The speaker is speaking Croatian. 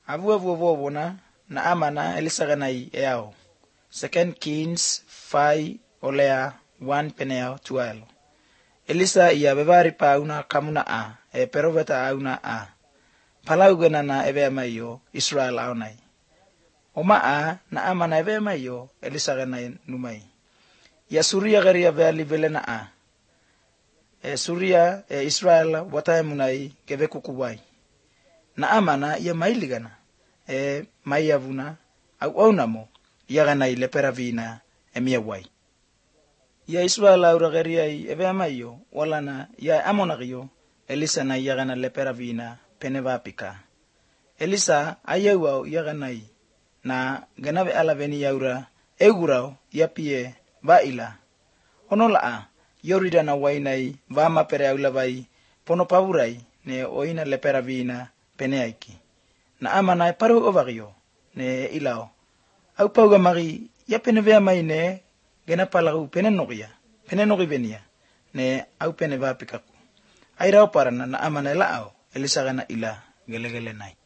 Avu na amana elisaganai eao. 2 Kings 5 olea 1 peneo 12. Elisa ia bevari pauna kamuna peroveta auna Palaugana na evemayo Israel aunai. Oma na amana evemayo elisaganai numai. Ya Suria garia vali velena Suria Israel wataemunai kevekukuwai. Na amana ia mailigana maiavuna au aunamo iaganai leperavina emiawai. Ya Israel aurageriai evemayo walana ya amonagio Elisa na iagana leperavina penevapika. Elisa ayauau iaganai na ganave alaveni yaura egurau yapie vaila. Onola Yoridana wainai vama pere aulavai ponopavurai ne oina leperavina peneaiki. Na amana paru ovagio ne ilao. Au pauga magi ya penevea mai ne genapalagu penenogi venia ne au penevapikaku. Airao parana na amana elao Elisa gana ila gelegele nai.